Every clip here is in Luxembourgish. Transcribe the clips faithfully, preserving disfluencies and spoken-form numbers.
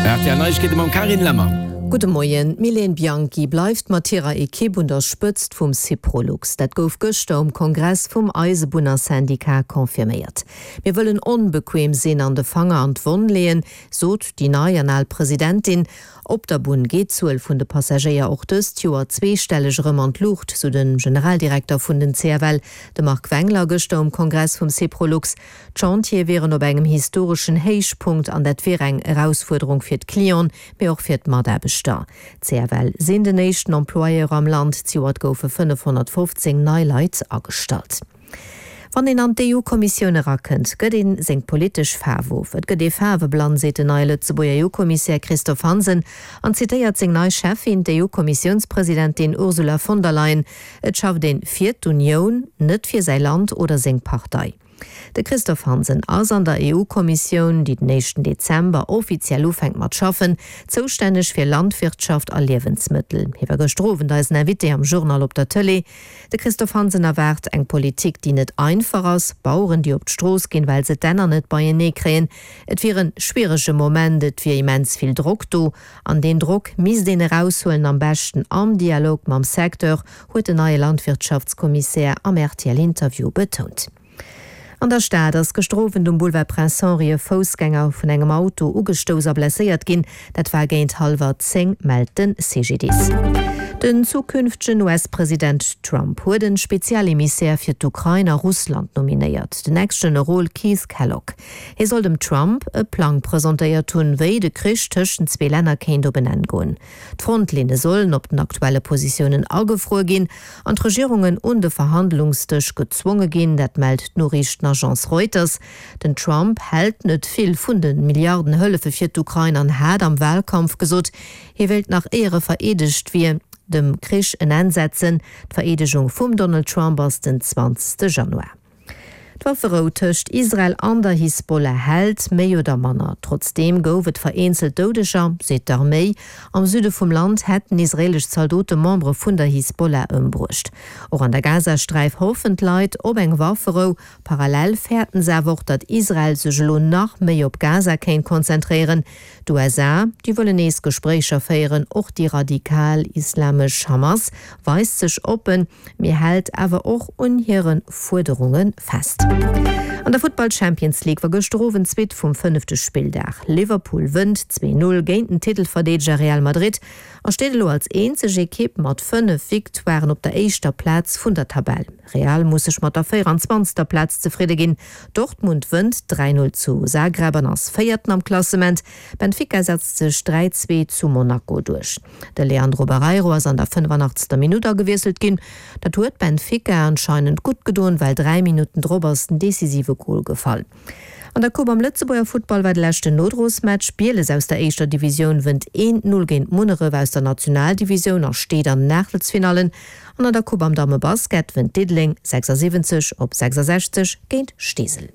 R T L Neiegkeete mam Carine Lemmer. Gudde Moien, D'Mylène Bianchi bleift mat hirer Ekipp un der Spëtzt vum Syprolux. Dat gouf gëschter um Kongress vum Eisebunnersyndicat confirméiert. Mir wëllen onbequem sinn an de Fanger an d'Wonn leeën, sot déi nei an al Presidentin. Op der Bunn geet d'Zuel vun de Passagéier och dëst Joer zweestelleg erëm an d'Luucht, sou de Generaldirekter vun den C F L, de Marc Wengler, gëschter um Kongress vum Syprolux. D'Chantiere wieren op engem historeschen Héichpunkt an dat wier eng Erausfuerderung fir d'Clienten, mee och fir d'Mataarbechter. D'C F L sinn den éischten Employeur am Land, zejoert goufe fënnefhonnertfofzéng nei Leit agestallt. Wann een an d'E U-Kommissioun erakënnt, gëtt een seng politesch Faarf of. Et gëtt ee faarweblann, seet den neie Lëtzebuerger E U-Kommissär Christophe Hansen an zitéiert seng nei Cheffin, d'E U-Kommissiounspresidentin Ursula von der Leyen, Et schafft een fir d'Unioun, net fir säi Land oder seng Partei. De Christophe Hansen ass an der E U-Kommissioun, déi den éischten Dezember offiziell ufänkt mat schaffen, zoustänneg fir Landwirtschaft a Liewensmëttel. Hie war gëschter Owend eisen Invité am Journal op der Tëlee. De Christophe Hansen erwaart eng Politik, déi net einfach ass, Baueren, déi op d'Strooss ginn, well se d'Enner net beienee kréien. Et wier e schwierege Moment, et wier immens vill Drock do an deen Drock misst een eraushuelen, am beschten am Dialog mam Secteur, huet den neie Landwirtschaftskommissär am R T L-Interview betount. An der Stad ass gëschter Owend um Boulevard Prince Henri e Foussgänger vun engem Auto ugestouss a blesséiert ginn. Dat war géint hallwer zéng, mellt de C G D I S. Den zukünftegen U S-President Trump huet e Spezialemissär fir d'Ukrain a Russland nominéiert, den Ex-Generol Keith Kellogg. Hie soll dem Trump e Plang presentéiert hunn, wéi de Krich tëschent zwee Länner kéint op en Enn goen. D'Frontlinne sollen op den aktuelle Positiounen agefruer ginn an d'Regierungen un de Verhandlungsdësch gezwonge ginn, dat mellt d'Noriichtenagence Reuters. Den Trump hält net vill vun de Milliardenhëllefe fir d'Ukrain an hat am Walkampf gesot, hie wéilt nach éier e vereedegt wier, dem Krich en Enn setzen. D'Vereedegung vum Donald Trump ass den zwanzegste Januar. D'Wafferou tëscht Israel an der Hisbollah hält méi oder manner. Trotzdeem gouf et vereenzelt Doudeger, seet d'Arméi. Am Süde vum Land hätten israeelesch Zaldote Membere vun der Hisbollah ëmbruecht. Och an der Gazasträif hoffen d'Leit op eng Wafferou. Parallel fäerten se awer och, datt Israel sech elo nach méi op Gaza kéint konzentréieren. D'U S A, déi wëllen nees Gespréicher féieren, och déi radikal islamesch Hamas weist sech oppen, mee hält awer och un hire Fuerderunge fest. An der Futtball Champions League war gëschter Owend d'Suite vum fënnefte Spilldag. Liverpool wënnt zwee Null géint den Titelverdeedeger Real Madrid a steet elo als eenzeg Ekipp mat fënnef Victoiren op der éischter Plaz vun der Tabell. Real muss sech mat der véierenzwanzegster Plaz zefridde ginn. Dortmund wënnt dräi Null zu Zagreb an ass Véierten am Klassement. Benfica setzt sech dräi Zwee zu Monaco duerch. De Leandro Barreiro ass an der fënnefanaachtzegster Minutt agewiesselt ginn. Dat huet Benfica anscheinend gutt gedoen, well dräi Minutten drop ass den decisive Gol gefall. An der Coupe am Lëtzebuerger Futtball war de leschten Nodrosmatch. Bieles aus der éischter Divisioun wënnt een Null géint Munneref aus der Nationaldivisioun a steet an den Aachtelsfinallen. An an der Coupe am Dammebasket wënnt Diddeleng sechsasiwwenzeg op sechsasechzeg géint Steesel.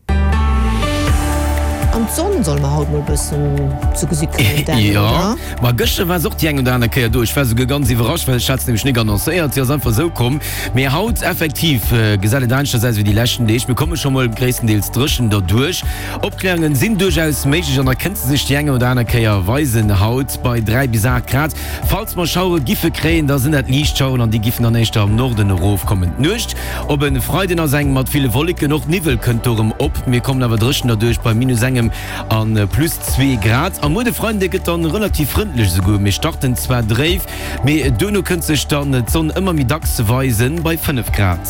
An d'Sonn solle mer haut mol bëssen ze gesi kréien, Dan, Jo, oder? Ma gëschter war se och déi eng oder aner Kéier do. Ech war souguer ganz iwwerrascht, well ech hat se nämlech nik annoncéiert. Si ass einfach esou komm. Mee haut effektiv gesäit et aneschters aus wéi déi leschten Deeg. Mir komme scho mol gréisstendeels dréchen derduerch. Opkläerungen sinn duerchaus méiglech an da kënnt se sech déi eng oder aner Kéier weisen haut bei dräi bis aacht Grad. Falls mer Schauere giffe kréien, da sinn dat liicht Schaueren an déi giffen dann éischter am Norden erofkommen. D'Nuecht op e Freiden ass eng mat ville Wolleken, och Niwwel kënnt do erëm op. Mir kommen awer dréchen derduerch bei minus engem an plus zwee Grad. A muer de Freide gëtt dann relativ frëndlech esouguer. Mir starten zwar dréif, mee duerno kënnt sech dann d'Sonn ëmmer méi dacks weisen bei fënnef Grad.